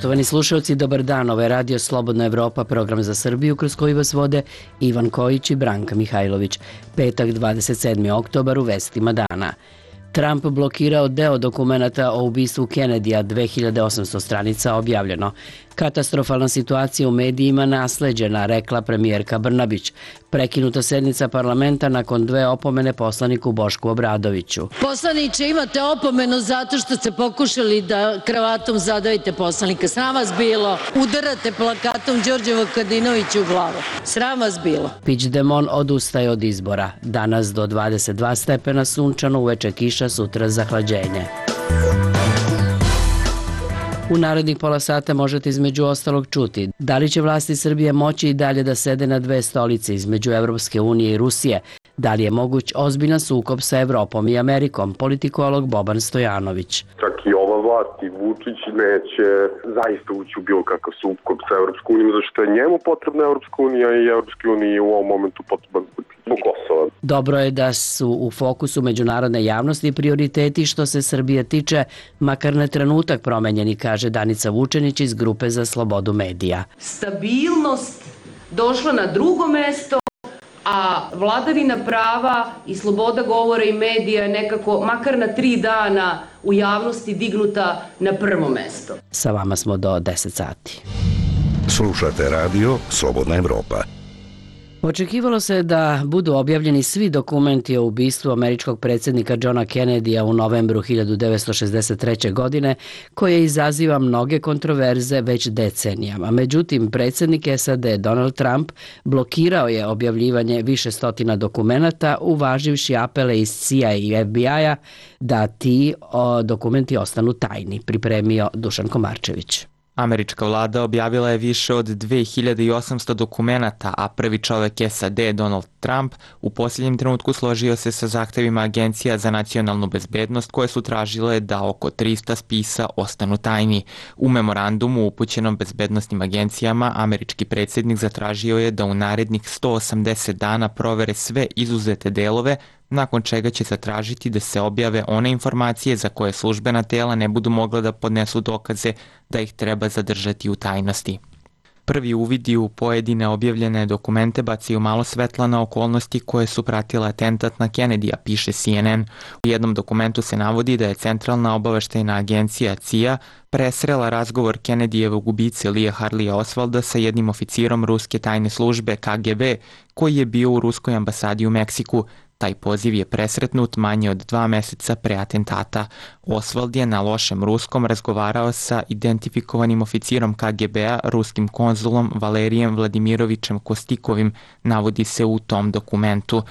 Poštovani slušalci, dobar dan. Ovo je Radio Slobodna Evropa, program za Srbiju kroz koji vas vode Ivan Kojić i Branka Mihajlović. Petak, 27. oktobar, u vestima dana. Trump blokirao deo dokumenata o ubistvu Kennedyja, 2800 stranica objavljeno. Katastrofalna situacija u medijima nasleđena, rekla premijerka Brnabić. Prekinuta sednica parlamenta nakon 2 opomene poslaniku Bošku Obradoviću. Poslaniče, imate opomenu zato što ste pokušali da kravatom zadavite poslanika. Sram vas bilo. Udarate plakatom Đorđe Vukadinoviću u glavu. Sram vas bilo. Puigdemont odustaje od izbora. Danas do 22 stepena sunčano, uveče kiša, sutra zahlađenje. U narednih pola sata možete između ostalog čuti da li će vlasti Srbije moći i dalje da sede na 2 stolice između Evropske unije i Rusije, da li je moguć ozbiljan sukob sa Evropom i Amerikom, politikolog Boban Stojanović. Čak i ova vlast i Vučić neće zaista ući u bilo kakav sukob sa Evropskom unijom, zašto je njemu potrebna Evropska unija i Evropske unije u ovom momentu potreban zbog Kosova. Dobro je da su u fokusu međunarodne javnosti prioriteti što se Srbije tiče, makar na trenutak promenjeni, kaže Danica Vučenić iz Grupe za slobodu medija. Stabilnost došla na drugo mesto, a vladavina prava i sloboda govora i medija je nekako, makar na 3 dana u javnosti dignuta na prvo mesto. Sa vama smo do 10 sati. Slušate radio Slobodna Evropa. Očekivalo se da budu objavljeni svi dokumenti o ubistvu američkog predsjednika Johna Kennedyja u novembru 1963. godine, koje izaziva mnoge kontroverze već decenijama. Međutim, predsjednik SAD Donald Trump blokirao je objavljivanje više stotina dokumenata, uvaživši apele iz CIA i FBI-a da ti dokumenti ostanu tajni, pripremio Dušan Komarčević. Američka vlada objavila je više od 2800 dokumenata, a prvi čovek SAD, Donald Trump, u posljednjem trenutku složio se sa zahtevima Agencija za nacionalnu bezbednost koje su tražile da oko 300 spisa ostanu tajni. U memorandumu upućenom bezbednostnim agencijama, američki predsjednik zatražio je da u narednih 180 dana provere sve izuzete delove, nakon čega će zatražiti da se objave one informacije za koje službena tela ne budu mogla da podnesu dokaze da ih treba zadržati u tajnosti. Prvi uvidi u pojedine objavljene dokumente bacaju malo svetla na okolnosti koje su pratile atentat na Kennedyja, piše CNN. U jednom dokumentu se navodi da je Centralna obaveštajna agencija CIA presrela razgovor Kennedyjevog ubice Lee Harleya Oswalda sa jednim oficirom ruske tajne službe KGB koji je bio u ruskoj ambasadi u Meksiku. Taj poziv je presretnut manje od 2 meseca pre atentata. Oswald je na lošem ruskom razgovarao sa identifikovanim oficirom KGB-a, ruskim konzulom Valerijem Vladimirovićem Kostikovim, navodi se u tom dokumentu.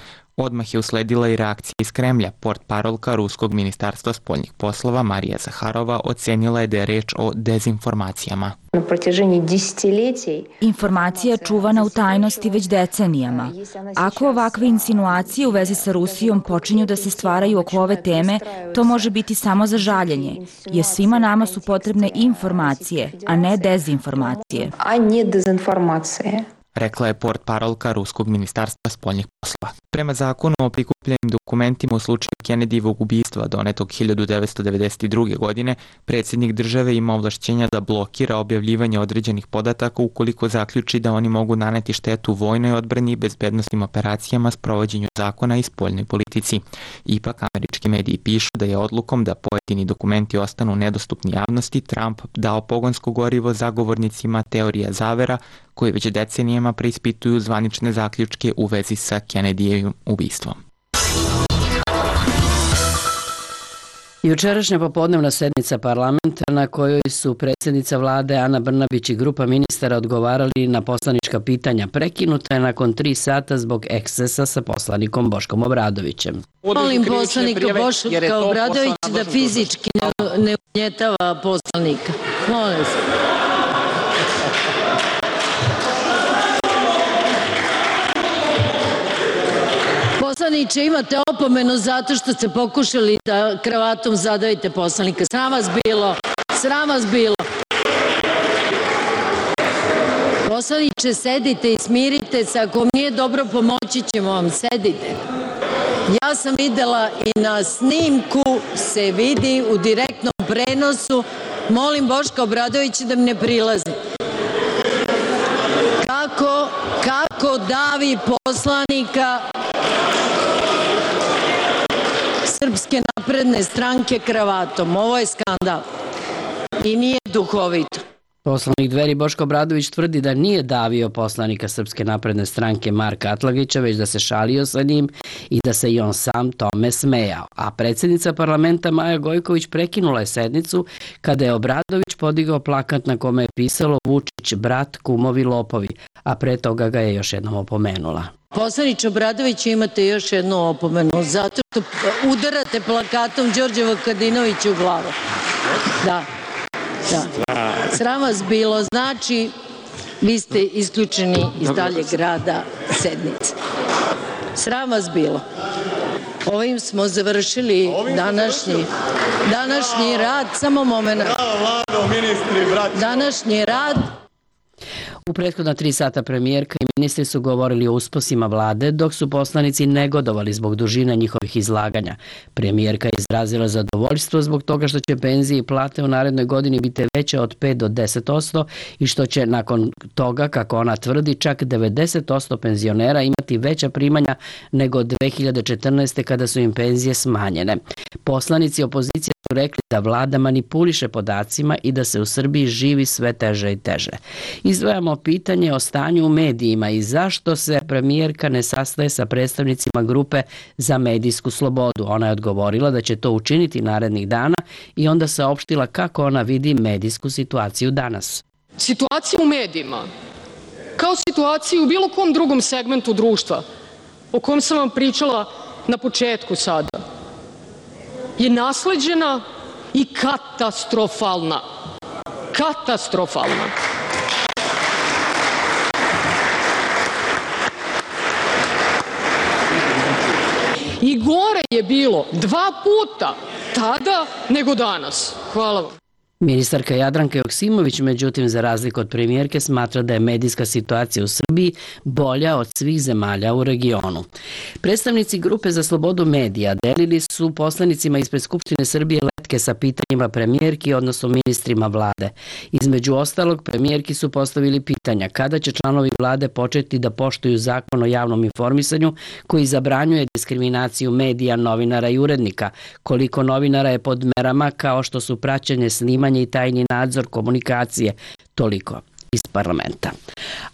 Odmah je usledila i reakcija iz Kremlja. Portparolka Ruskog ministarstva spoljnih poslova Marija Zaharova ocenila je da je reč o dezinformacijama. Informacija je čuvana u tajnosti već decenijama. Ako ovakve insinuacije u vezi sa Rusijom počinju da se stvaraju oko ove teme, to može biti samo za žaljenje, jer svima nama su potrebne informacije, a ne dezinformacije. Rekla je portparolka Ruskog ministarstva spoljnih poslova. Prema zakonu o prikupljenim dokumentima u slučaju Kennedyjevog ubistva donetog 1992. godine, predsjednik države ima ovlašćenja da blokira objavljivanje određenih podataka ukoliko zaključi da oni mogu naneti štetu vojnoj odbrani i bezbednosnim operacijama, sprovođenju zakona i spoljnoj politici. Ipak, američki mediji pišu da je odlukom da pojedini dokumenti ostanu nedostupni javnosti Trump dao pogonsko gorivo zagovornicima teorija zavera koji već decenijama preispituju zvanične zaključke u vezi sa Kennedyjevim ubistvom. Jučerašnja popodnevna sednica parlamenta na kojoj su predsjednica vlade Ana Brnabić i grupa ministara odgovarali na poslanička pitanja prekinuta je nakon 3 sata zbog ekscesa sa poslanikom Boškom Obradovićem. Molim poslanika Boška Obradovića da fizički ne ugnjetava poslanika. Molim se. Poslaniče, imate opomenu zato što ste pokušali da kravatom zadavite poslanika. Sram vas bilo. Sram vas bilo. Poslaniče, sedite i smirite se. Ako vam nije dobro, pomoći ćemo vam. Sedite. Ja sam videla i na snimku se vidi u direktnom prenosu Molim Boška Obradovića da mi ne prilazi. Kako davi poslanika Srpske napredne stranke kravatom. Ovo je skandal i nije duhovito. Poslanik Dveri Boško Obradović tvrdi da nije davio poslanika Srpske napredne stranke Marka Atlagića, već da se šalio sa njim i da se i on sam tome smejao. A predsjednica parlamenta Maja Gojković prekinula je sednicu kada je Obradović podigao plakat na kome je pisalo Vučić, brat, kumovi, lopovi, a pre toga ga je još jednom opomenula. Poslaniče Obradoviću, imate još jednu opomenu zato što udarate plakatom Đorđe Vukadinovića u glavu. Da. Sram vas bilo, znači vi ste isključeni iz daljeg rada sednice. Sram vas bilo. Ovim smo završili današnji rad. Samo moment. Današnji rad. U prethodna 3 sata premijerka i ministri su govorili o uspesima vlade, dok su poslanici negodovali zbog dužine njihovih izlaganja. Premijerka je izrazila zadovoljstvo zbog toga što će penzije i plate u narednoj godini biti veće od 5 do 10% i što će nakon toga, kako ona tvrdi, čak 90% penzionera imati veća primanja nego 2014. kada su im penzije smanjene. Poslanici opozicije su rekli da vlada manipuliše podacima i da se u Srbiji živi sve teže i teže. Izdvajamo pitanje o stanju u medijima i zašto se premijerka ne sastaje sa predstavnicima grupe za medijsku slobodu. Ona je odgovorila da će to učiniti narednih dana i onda saopštila kako ona vidi medijsku situaciju danas. Situacija u medijima, kao situaciju u bilo kom drugom segmentu društva, o kojem sam vam pričala na početku sada, je nasleđena i katastrofalna. Katastrofalna. I gore je bilo 2 puta tada nego danas. Hvala vam. Ministarka Jadranka Joksimović, međutim, za razliku od premijerke, smatra da je medijska situacija u Srbiji bolja od svih zemalja u regionu. Predstavnici Grupe za slobodu medija delili su poslanicima ispred Skupštine Srbije letke sa pitanjima premijerki, odnosno ministrima vlade. Između ostalog, premijerki su postavili pitanja kada će članovi vlade početi da poštuju zakon o javnom informisanju koji zabranjuje diskriminaciju medija, novinara i urednika, koliko novinara je pod merama kao što su praćenje, snimanje i tajni nadzor komunikacije, toliko iz parlamenta.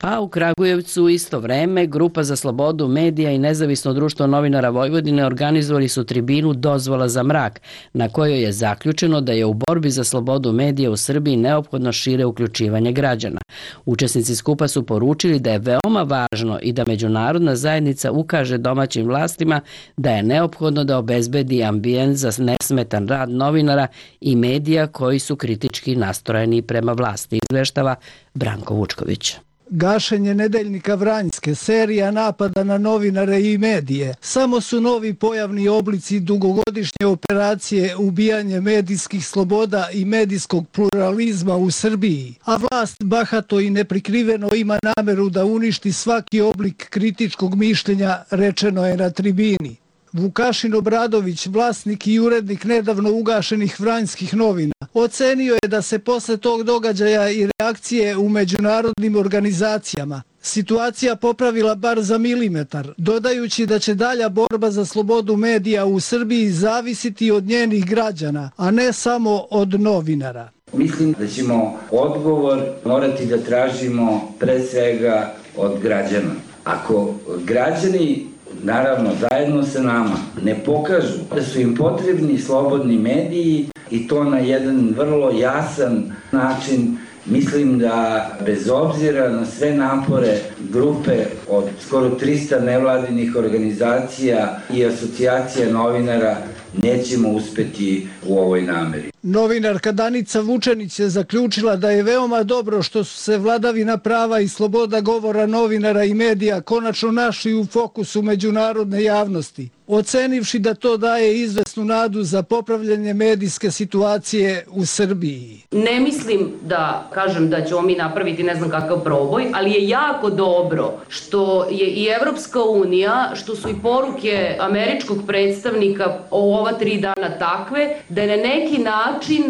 A u Kragujevcu u isto vreme Grupa za slobodu medija i Nezavisno društvo novinara Vojvodine organizovali su tribinu Dozvola za mrak, na kojoj je zaključeno da je u borbi za slobodu medija u Srbiji neophodno šire uključivanje građana. Učesnici skupa su poručili da je veoma važno i da međunarodna zajednica ukaže domaćim vlastima da je neophodno da obezbedi ambijent za nesmetan rad novinara i medija koji su kritički nastrojeni prema vlasti, izveštava Branko Vučković. Gašenje nedeljnika Vranjske, serija napada na novinare i medije, samo su novi pojavni oblici dugogodišnje operacije ubijanje medijskih sloboda i medijskog pluralizma u Srbiji, a vlast bahato i neprikriveno ima nameru da uništi svaki oblik kritičkog mišljenja, rečeno je na tribini. Vukašin Obradović, vlasnik i urednik nedavno ugašenih Vranjskih novina, ocenio je da se posle tog događaja i reakcije u međunarodnim organizacijama situacija popravila bar za milimetar, dodajući da će dalja borba za slobodu medija u Srbiji zavisiti od njenih građana, a ne samo od novinara. Mislim da ćemo odgovor morati da tražimo pre svega od građana. Ako građani, naravno zajedno sa nama, ne pokažu da su im potrebni slobodni mediji i to na jedan vrlo jasan način, mislim da bez obzira na sve napore grupe od skoro 300 nevladinih organizacija i asocijacija novinara nećemo uspeti u ovoj nameri. Novinarka Danica Vučenić je zaključila da je veoma dobro što su se vladavina prava i sloboda govora novinara i medija konačno našli u fokusu međunarodne javnosti, ocenivši da to daje izvesnu nadu za popravljanje medijske situacije u Srbiji. Ne mislim da kažem da ćemo mi napraviti ne znam kakav proboj, ali je jako dobro što je i Evropska unija, što su i poruke američkog predstavnika o ova 3 dana takve, da je na neki način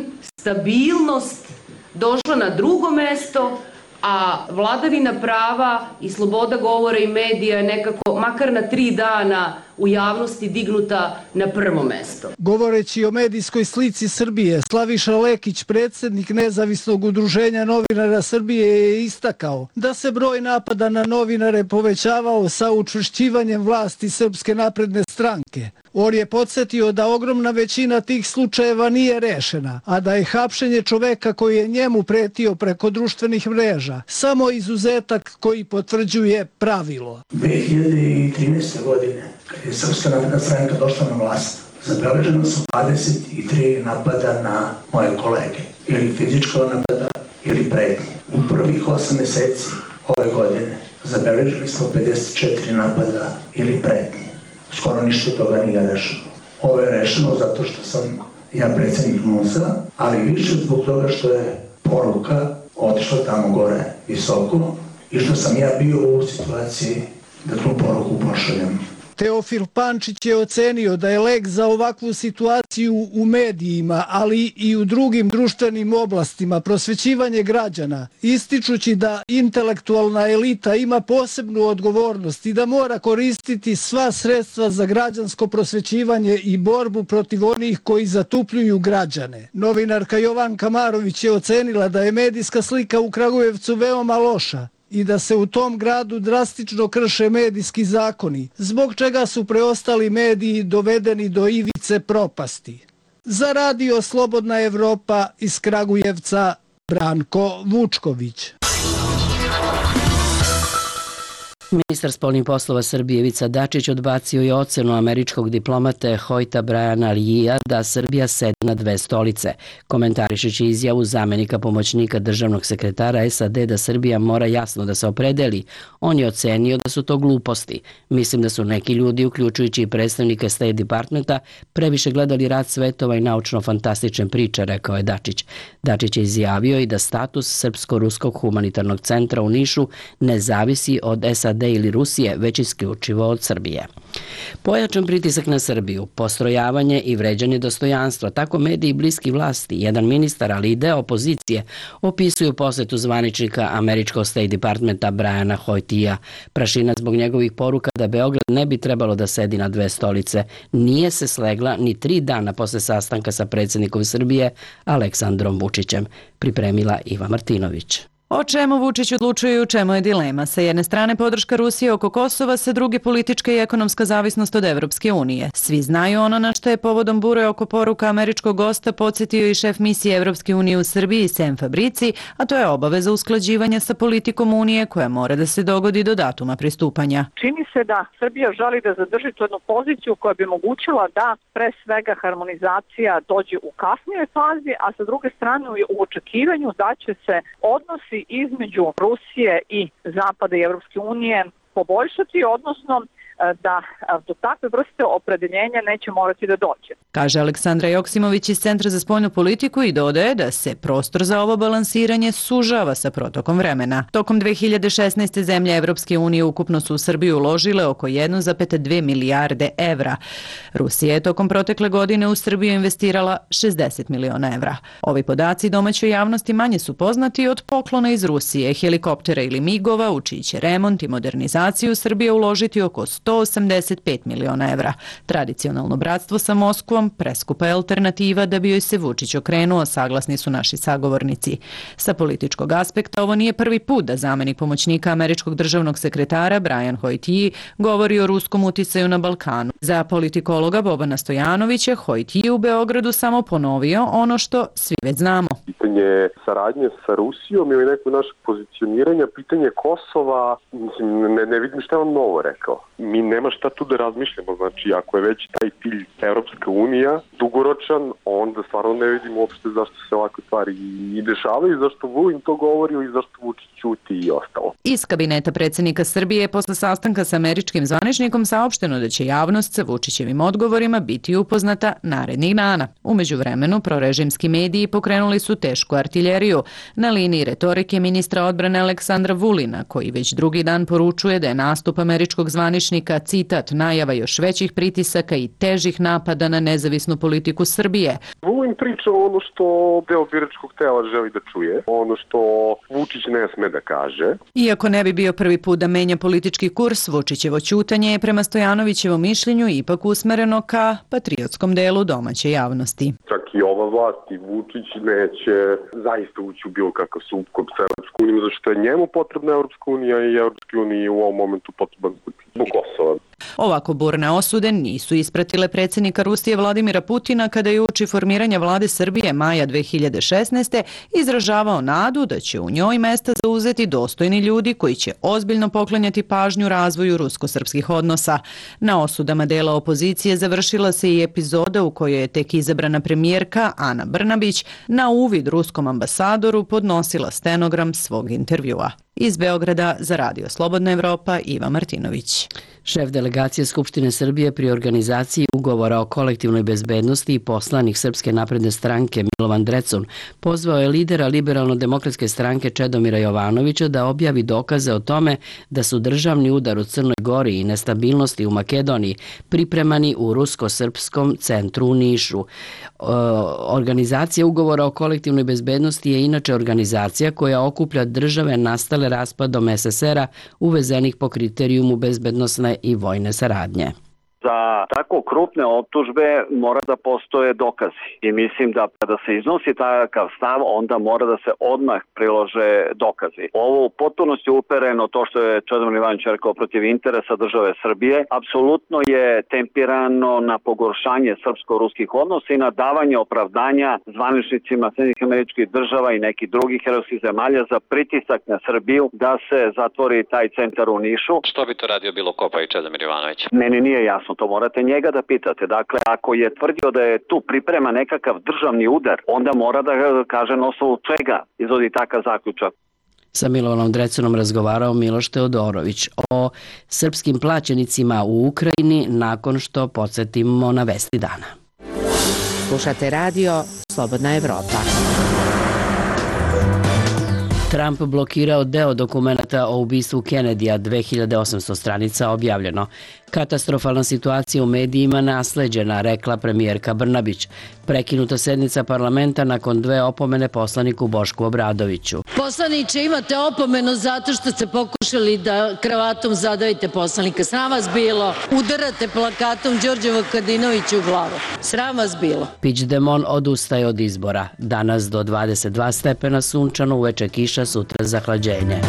stabilnost došla na drugo mesto, a vladavina prava i sloboda govora i medija je nekako, makar na 3 dana, u javnosti dignuta na prvo mesto. Govoreći o medijskoj slici Srbije, Slaviša Lekić, predsjednik Nezavisnog udruženja novinara Srbije, je istakao da se broj napada na novinare povećavao sa učvršćivanjem vlasti Srpske napredne stranke. On je podsjetio da ogromna većina tih slučajeva nije rešena, a da je hapšenje čoveka koji je njemu pretio preko društvenih mreža samo izuzetak koji potvrđuje pravilo. 2013. godine, kad je Srpska napredna stranka došla na vlast, zabeleženo su 23 napada na moje kolege, ili fizičkog napada, ili pretnje. U prvih 8 meseci ove godine zabeležili smo 54 napada ili pretnje. Skoro ništa toga nije rešeno. Ovo je rešeno zato što sam ja predsjednik NUNS-a, ali više zbog toga što je poruka otišla tamo gore visoko i što sam ja bio u situaciji da tu poruku pošaljem. Teofil Pančić je ocenio da je lek za ovakvu situaciju u medijima, ali i u drugim društvenim oblastima prosvećivanje građana, ističući da intelektualna elita ima posebnu odgovornost i da mora koristiti sva sredstva za građansko prosvećivanje i borbu protiv onih koji zatupljuju građane. Novinarka Jovanka Marović je ocenila da je medijska slika u Kragujevcu veoma loša i da se u tom gradu drastično krše medijski zakoni, zbog čega su preostali mediji dovedeni do ivice propasti. Za radio Slobodna Evropa iz Kragujevca, Branko Vučković. Ministar spoljnih poslova Srbije Ivica Dačić odbacio je ocenu američkog diplomate Hojta Briana Leea da Srbija sedi na 2 stolice, komentarišući izjavu zamenika pomoćnika državnog sekretara SAD da Srbija mora jasno da se opredeli. On je ocenio da su to gluposti. Mislim da su neki ljudi, uključujući i predstavnike State Departmenta, previše gledali Rat svetova i naučno-fantastične priče, rekao je Dačić. Dačić je izjavio i da status Srpsko-ruskog humanitarnog centra u Nišu ne zavisi od SAD ili Rusije, već isključivo od Srbije. Pojačan pritisak na Srbiju, postrojavanje i vređanje dostojanstva, tako mediji bliski vlasti, jedan ministar, ali i deo opozicije, opisuju posetu zvaničnika američkog State Departmenta Briana Hojtija. Prašina zbog njegovih poruka da Beograd ne bi trebalo da sedi na 2 stolice nije se slegla ni 3 dana posle sastanka sa predsjednikom Srbije Aleksandrom Vučićem, pripremila Iva Martinović. O čemu Vučić odlučuje i u čemu je dilema? Sa jedne strane podrška Rusije oko Kosova, sa druge politička i ekonomska zavisnost od Evropske unije. Svi znaju ono na što je povodom bure oko poruka američkog gosta podsjetio i šef misije Evropske unije u Srbiji Sem Fabrici, a to je obaveza usklađivanja sa politikom unije koja mora da se dogodi do datuma pristupanja. Čini se da Srbija želi da zadrži tu jednu poziciju koja bi omogućila da pre svega harmonizacija dođe u kasnijoj fazi, a sa druge strane u očekivanju da će se odnosi između Rusije i Zapada i Evropske unije poboljšati, odnosno da do takve vrste opredeljenja neće morati da dođe. Kaže Aleksandra Joksimović iz Centra za spoljnu politiku i dodaje da se prostor za ovo balansiranje sužava sa protokom vremena. Tokom 2016. zemlje Evropske unije ukupno su u Srbiju uložile oko 1,2 milijarde evra. Rusija je tokom protekle godine u Srbiju investirala 60 miliona evra. Ovi podaci domaćoj javnosti manje su poznati od poklona iz Rusije, helikoptera ili migova, u čiji će remont i modernizaciju Srbije uložiti oko 185 miliona evra. Tradicionalno bratstvo sa Moskvom preskupa je alternativa da bi joj se Vučić okrenuo, saglasni su naši sagovornici. Sa političkog aspekta ovo nije prvi put da zamenik pomoćnika američkog državnog sekretara Brian Hojtiji govori o ruskom uticaju na Balkanu. Za politikologa Bobana Stojanovića Hojtiji u Beogradu samo ponovio ono što svi već znamo. Pitanje saradnje sa Rusijom ili nekog našeg pozicioniranja, pitanje Kosova, ne vidim šta vam novo rekao. Mi nema šta tu da razmišljamo, znači ako je već taj cilj Evropska unija dugoročan, onda stvarno ne vidim uopšte zašto se ovakve stvari i dešavaju, zašto Vulin to govorio i zašto Vučić ćuti i ostalo. Iz kabineta predsjednika Srbije posle sastanka sa američkim zvaničnikom saopšteno da će javnost sa Vučićevim odgovorima biti upoznata narednih dana. U međuvremenu prorežimski mediji pokrenuli su tešku artiljeriju na liniji retorike ministra odbrane Aleksandra Vulina, koji već drugi dan poručuje da je nastup američkog zvaničnika predsjednika, citat, najava još većih pritisaka i težih napada na nezavisnu politiku Srbije. Volim priča ono što deo biračkog tela želi da čuje, ono što Vučić ne sme da kaže. Iako ne bi bio prvi put da menja politički kurs, Vučićevo ćutanje je prema Stojanovićevom mišljenju ipak usmereno ka patriotskom delu domaće javnosti. Čak i ova vlast i Vučić neće zaista ući u bilo kakav sukob sa Europskom unijom, zato što je njemu potrebna Europska unija i Europske unije u ovom momentu potreban zbog Kosova. Ovako burne osude nisu ispratile predsjednika Rusije Vladimira Putina kada je uoči formiranja vlade Srbije maja 2016. izražavao nadu da će u njoj mesta zauzeti dostojni ljudi koji će ozbiljno poklanjati pažnju razvoju rusko-srpskih odnosa. Na osudama dela opozicije završila se i epizoda u kojoj je tek izabrana premijerka Ana Brnabić na uvid ruskom ambasadoru podnosila stenogram svog intervjua. Iz Beograda za Radio Slobodna Evropa Iva Martinović. Šef delegacije Skupštine Srbije pri organizaciji ugovora o kolektivnoj bezbednosti i poslanik Srpske napredne stranke Milovan Drecun pozvao je lidera Liberalno-demokratske stranke Čedomira Jovanovića da objavi dokaze o tome da su državni udar u Crnoj Gori i nestabilnosti u Makedoniji pripremani u rusko-srpskom centru u Nišu. Organizacija ugovora o kolektivnoj bezbednosti je inače organizacija koja okuplja države nastale raspadom SSR-a uvezenih po kriterijumu bezbednosne i vojne saradnje. Za tako krupne optužbe mora da postoje dokazi i mislim da kada se iznosi takav stav onda mora da se odmah prilože dokazi. Ovo u potpunosti upereno to što je Čedomir Jovanović rekao protiv interesa države Srbije, apsolutno je tempirano na pogoršanje srpsko-ruskih odnosa i na davanje opravdanja zvaničnicima Sjedinjenih Američkih Država i nekih drugih evropskih zemalja za pritisak na Srbiju da se zatvori taj centar u Nišu. Što bi to radio bilo Kopa i Čedomir Jovanović? Meni nije jasno. To morate njega da pitate. Dakle, ako je tvrdio da je tu priprema nekakav državni udar, onda mora da kaže na osnovu čega izvodi takav zaključak. Sa Milovanom Drecunom razgovarao Miloš Teodorović o srpskim plaćenicima u Ukrajini nakon što podsjetimo na vesti dana. Slušate radio Slobodna Evropa. Trump blokirao deo dokumenta o ubistvu Kennedyja, 2800 stranica objavljeno. Katastrofalna situacija u medijima nasleđena, rekla premijerka Brnabić. Prekinuta sednica parlamenta nakon 2 opomene poslaniku Bošku Obradoviću. Poslaniče, imate opomenu zato što ste pokušali da kravatom zadavite poslanika. Sram vas bilo. Udarate plakatom Đorđe Vukadinoviću u glavu. Sram vas bilo. Puigdemont odustaje od izbora. Danas do 22 stepena sunčano, uveče kiša, sutra zahlađenje.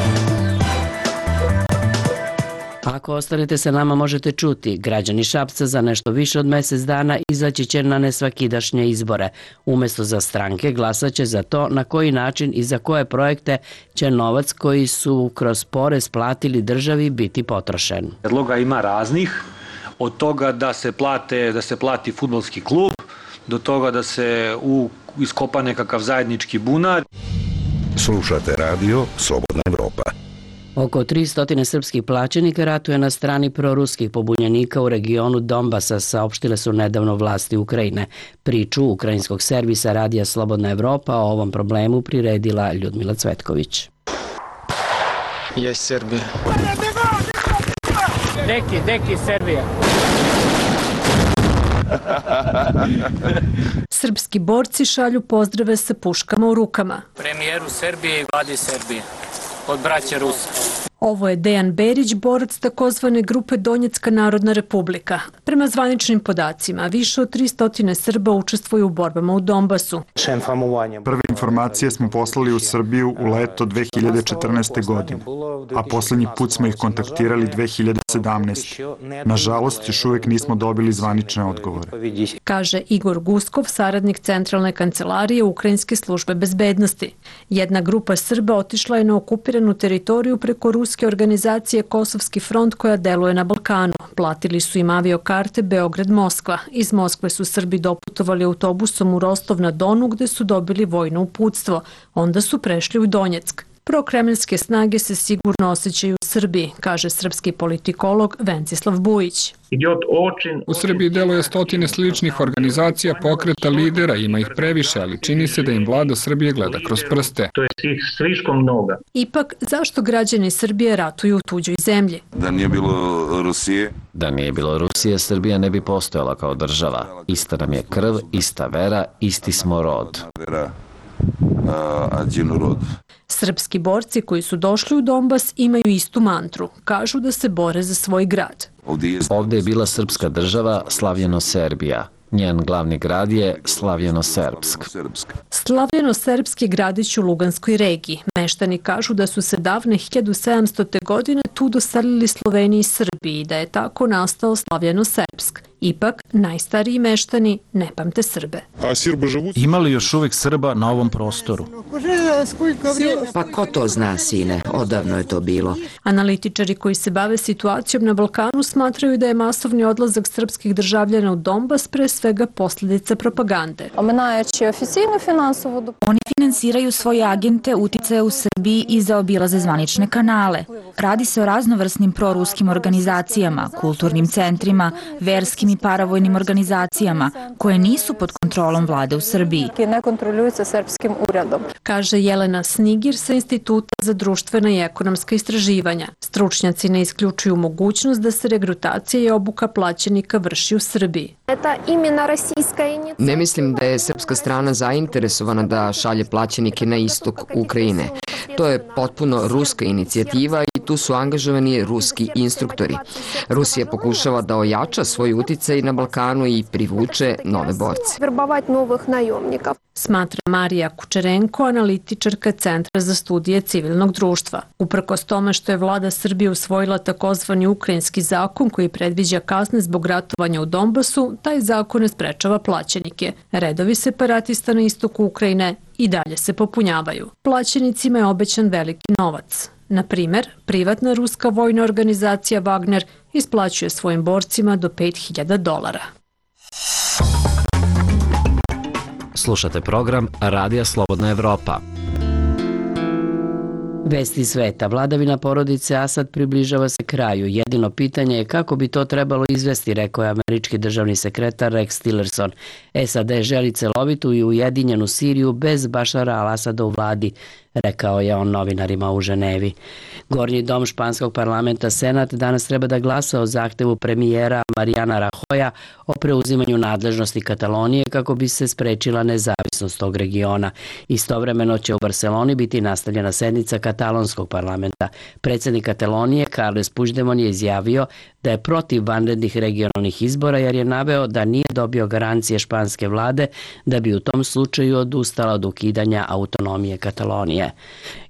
Ako ostanete sa nama možete čuti, građani Šapca za nešto više od mjesec dana izaći će na nesvakidašnje izbore. Umjesto za stranke glasaće za to na koji način i za koje projekte će novac koji su kroz porez platili državi biti potrošen. Predloga ima raznih, od toga da se plati fudbalski klub, do toga da se iskopa nekakav zajednički bunar. Slušate radio Slobodna Evropa. Oko 300 srpskih plaćenika ratuje na strani proruskih pobunjenika u regionu Donbasa, saopštile su nedavno vlasti Ukrajine. Priču ukrajinskog servisa Radija Slobodna Evropa o ovom problemu priredila Ljudmila Cvetković. Jest Srbija. Deki Srbija. Srpski borci šalju pozdrave sa puškama u rukama. Premijeru Srbije i vladi Srbije. Od braće Rusa. Ovo je Dejan Berić, borac takozvane grupe Donjecka narodna republika. Prema zvaničnim podacima, više od 300 Srba učestvuju u borbama u Donbasu. Prve informacije smo poslali u Srbiju u leto 2014. godine, a posljednji put smo ih kontaktirali 2017. Nažalost, još uvijek nismo dobili zvanične odgovore. Kaže Igor Guskov, saradnik Centralne kancelarije Ukrajinske službe bezbednosti. Jedna grupa Srba otišla je na okupiranu teritoriju preko ruske organizacije Kosovski front koja deluje na Balkanu. Platili su im aviokarte Beograd-Moskva. Iz Moskve su Srbi doputovali autobusom u Rostov na Donu gde su dobili vojno uputstvo. Onda su prešli u Donjeck. Prokremljske snage se sigurno osjećaju u Srbiji, kaže srpski politikolog Vencislav Bujić. U Srbiji deluje stotine sličnih organizacija, pokreta, lidera, ima ih previše, ali čini se da im vlada Srbije gleda kroz prste. Ipak, zašto građani Srbije ratuju u tuđoj zemlji? Da nije bilo Rusije, Da nije bilo Rusije, Srbija ne bi postojala kao država. Ista nam je krv, ista vera, isti smo rod. Srpski borci koji su došli u Donbas imaju istu mantru. Kažu da se bore za svoj grad. Ovde je bila srpska država, slavljeno Serbija. Njen glavni grad je Slavljeno-Serbsk. Slavljeno-Serbsk je gradić u Luganskoj regiji. Meštani kažu da su se davne 1700. godine tu doselili Sloveniji i Srbiji i da je tako nastao Slavljeno-Serbsk. Ipak, najstariji meštani ne pamte Srbe. Ima li još uvijek Srba na ovom prostoru? Pa ko to zna, sine? Odavno je to bilo. Analitičari koji se bave situacijom na Balkanu smatraju da je masovni odlazak srpskih državljana u Donbas pre svega posljedica propagande. Oni finansiraju svoje agente uticaja u Srbiji i zaobilaze zvanične kanale. Radi se o raznovrsnim proruskim organizacijama, kulturnim centrima, verskim i paravojnim organizacijama koje nisu pod kontrolom vlade u Srbiji. Ne kontroljuju se srpskim uredom. Kaže Jelena Snigir sa Instituta za društvena i ekonomska istraživanja. Stručnjaci ne isključuju mogućnost da se regrutacija i obuka plaćenika vrši u Srbiji. Ne mislim da je srpska strana zainteresovana da šalje plaćenike na istok Ukrajine. To je potpuno ruska inicijativa i tu su angažovani ruski instruktori. Rusija pokušava da ojača svoj uticaj na Balkanu i privuče nove borce. Smatra Marija Kučerenko, analitičarka Centra za studije civilnog društva. Uprkos tome što je vlada Srbije usvojila takozvani ukrajinski zakon koji predviđa kazne zbog ratovanja u Donbasu, taj zakon ne sprečava plaćenike. Redovi separatista na istoku Ukrajine i dalje se popunjavaju. Plaćenicima je obećan veliki novac. Na primer, privatna ruska vojna organizacija Wagner isplaćuje svojim borcima do $5.000. Slušate program Radija Slobodna Evropa. Vesti sveta. Vladavina porodice Asad približava se kraju. Jedino pitanje je kako bi to trebalo izvesti, rekao je američki državni sekretar Rex Tillerson. SAD želi celovitu i ujedinjenu Siriju bez Bašara al-Asada u vladi, rekao je on novinarima u Ženevi. Gornji dom španskog parlamenta Senat danas treba da glasa o zahtevu premijera Mariana Rajoya o preuzimanju nadležnosti Katalonije kako bi se sprečila nezavisnost tog regiona. Istovremeno će u Barceloni biti nastavljena sednica katalonskog parlamenta. Predsjednik Katalonije Carles Puigdemont je izjavio da je protiv vanrednih regionalnih izbora jer je naveo da nije dobio garancije španske vlade da bi u tom slučaju odustala od ukidanja autonomije Katalonije.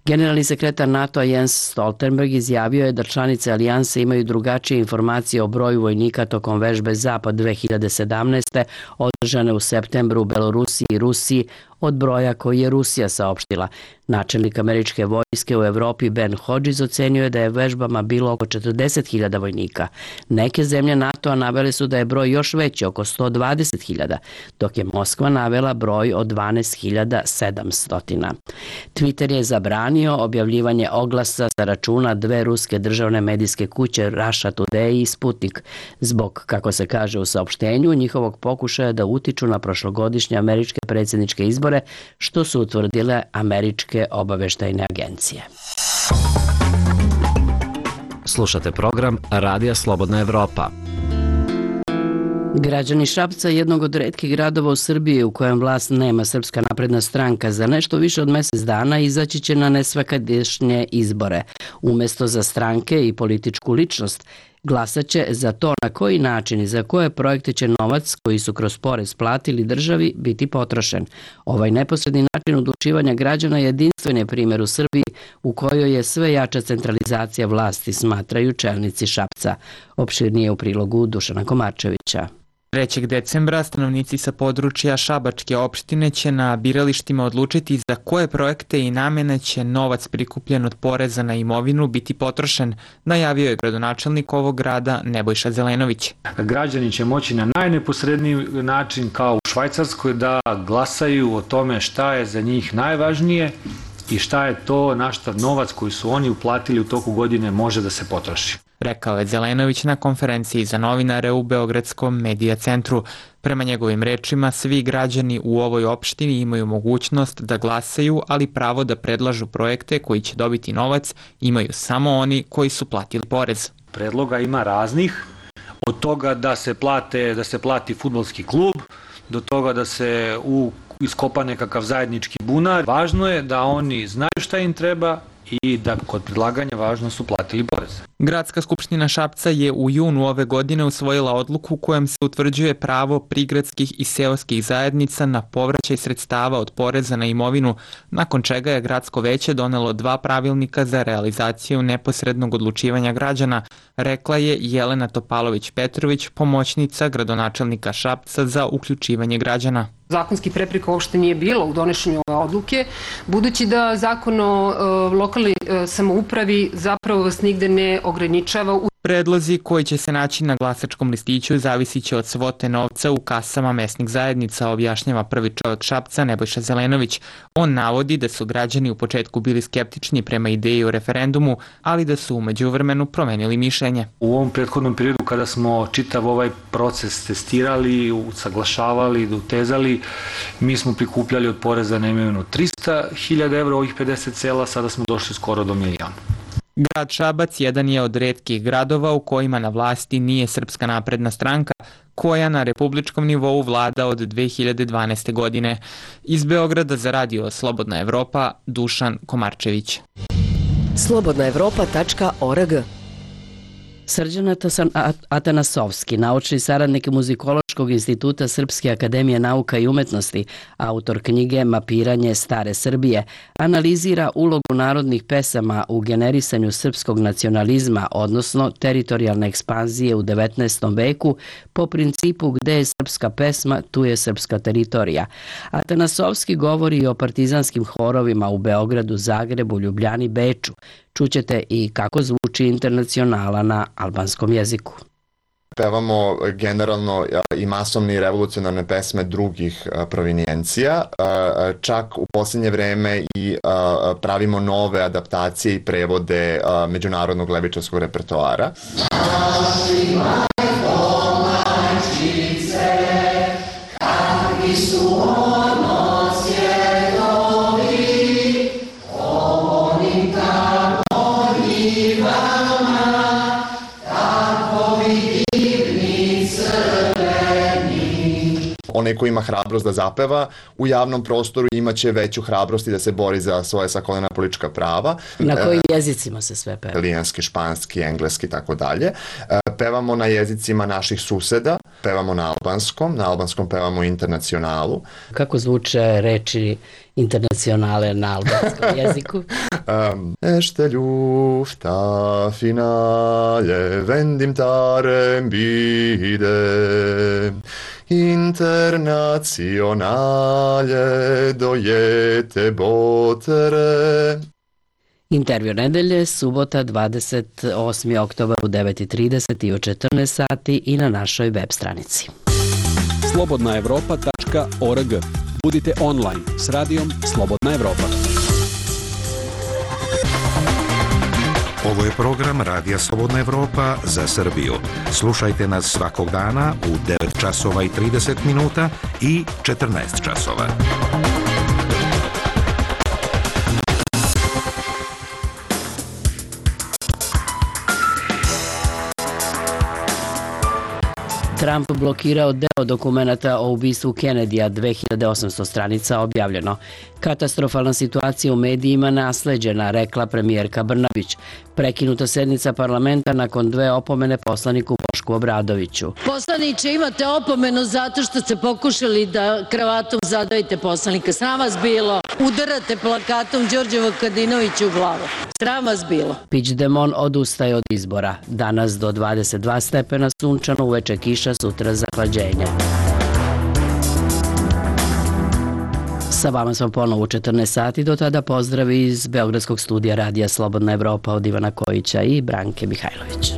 Generalni sekretar NATO-a Jens Stoltenberg izjavio je da članice alijanse imaju drugačije informacije o broju vojnika tokom vežbe Zapad 2017. održane u septembru u Belorusiji i Rusiji od broja koji je Rusija saopštila. Načelnik američke vojske u Evropi Ben Hodges ocenio je da je vežbama bilo oko 40.000 vojnika. Neke zemlje NATO-a navele su da je broj još veći, oko 120.000, dok je Moskva navela broj od 12.700. Twitter je zabranio objavljivanje oglasa sa računa dve ruske državne medijske kuće Russia Today i Sputnik, zbog, kako se kaže u saopštenju, njihovog pokušaja da utiču na prošlogodišnje američke predsjedničke izbore, što su utvrdile američke obaveštajne agencije. Slušate program Radija Slobodna Evropa. Građani Šapca, jednog od retkih gradova u Srbiji u kojem vlast nema Srpska napredna stranka, za nešto više od mjesec dana izaći će na nesvakadašnje izbore. Umjesto za stranke i političku ličnost, glasat će za to na koji način i za koje projekte će novac koji su kroz porez platili državi biti potrošen. Ovaj neposredni način odlučivanja građana je jedinstven primjer u Srbiji u kojoj je sve jača centralizacija vlasti, smatraju čelnici Šapca. Opširnije u prilogu Dušana Komarčevića. 3. decembra stanovnici sa područja Šabačke opštine će na biralištima odlučiti za koje projekte i namene će novac prikupljen od poreza na imovinu biti potrošen, najavio je gradonačelnik ovog grada Nebojša Zelenović. Građani će moći na najneposredniji način kao u Švajcarskoj da glasaju o tome šta je za njih najvažnije i šta je to na šta novac koji su oni uplatili u toku godine može da se potroši. Rekao je Zelenović na konferenciji za novinare u Beogradskom medija centru. Prema njegovim rečima, svi građani u ovoj opštini imaju mogućnost da glasaju, ali pravo da predlažu projekte koji će dobiti novac imaju samo oni koji su platili porez. Predloga ima raznih, Od toga da se plati fudbalski klub, do toga da se iskopa nekakav zajednički bunar. Važno je da oni znaju šta im treba i da kod predlaganja važno su platili poreze. Gradska skupština Šapca je u junu ove godine usvojila odluku kojom se utvrđuje pravo prigradskih i seoskih zajednica na povraćaj sredstava od poreza na imovinu, nakon čega je gradsko veće donelo 2 pravilnika za realizaciju neposrednog odlučivanja građana, rekla je Jelena Topalović-Petrović, pomoćnica gradonačelnika Šapca za uključivanje građana. Zakonski prepreka uopšte nije bilo u donošenju ove odluke, budući da zakon o lokalnoj samoupravi zapravo vas nigde ne ograničava. Predlozi koji će se naći na glasačkom listiću zavisit će od svote novca u kasama mesnih zajednica, objašnjava prvi čovjek Šapca Nebojša Zelenović. On navodi da su građani u početku bili skeptični prema ideji o referendumu, ali da su u međuvremenu promenili mišljenje. U ovom prethodnom periodu kada smo čitav ovaj proces testirali, usaglašavali, utezali, mi smo prikupljali od poreza na imovinu 300.000 evra, ovih 50 sela, sada smo došli skoro do 1 milion. Grad Šabac jedan je od retkih gradova u kojima na vlasti nije Srpska napredna stranka, koja na republičkom nivou vlada od 2012. godine. Iz Beograda za radio Slobodna Evropa, Dušan Komarčević. slobodnaevropa.org. Srđan Atanasovski, naučni saradnik Muzikološkog instituta Srpske akademije nauka i umetnosti, autor knjige Mapiranje stare Srbije, analizira ulogu narodnih pesama u generisanju srpskog nacionalizma, odnosno teritorijalne ekspanzije u 19. veku, po principu gde je srpska pesma, tu je srpska teritorija. Atanasovski govori i o partizanskim horovima u Beogradu, Zagrebu, Ljubljani, Beču. Čućete i kako zvuči Internacionala na albanskom jeziku. Pevamo generalno i masovne i revolucionarne pesme drugih provinijencija, čak u posljednje vreme i pravimo nove adaptacije i prevode međunarodnog levičarskog repertoara. Onaj ko ima hrabrost da zapeva u javnom prostoru imaće veću hrabrost i da se bori za svoje sakolena politička prava. Na kojim jezicima se sve peva? Italijanski, španski, engleski i tako dalje. Pevamo na jezicima naših suseda, pevamo na albanskom pevamo Internacionalu. Kako zvuče reči Internacionale na albanskom jeziku? Ešte ljufta finale vendim tarem bide Internacionale dojete botere. Intervju nedelje, subota 28. oktobar u 9:30 i u 14 sati i na našoj web stranici. slobodnaevropa.org. Budite online s radijom Slobodna Evropa. Ovo je program Radija Slobodna Evropa za Srbiju. Slušajte nas svakog dana u 9 časova i 30 minuta i 14 časova. Trump blokirao deo dokumenata o ubistvu Kennedyja, 2800 stranica objavljeno. Katastrofalna situacija u medijima nasleđena, rekla premijerka Brnabić. Prekinuta sednica parlamenta nakon 2 opomene poslaniku Bošku Obradoviću. Poslaniče, imate opomenu zato što ste pokušali da kravatom zadavite poslanika. Sram vas bilo. Udarate plakatom Đorđe Vukadinoviću u glavu. Sram vas bilo. Puigdemont odustaje od izbora. Danas do 22 stepena sunčano, uveče kiša, sutra zahlađenje. Sa vama smo ponovo u 14 sati, do tada pozdravi iz Beogradskog studija Radija Slobodna Evropa od Ivana Kojića i Branke Mihajlović.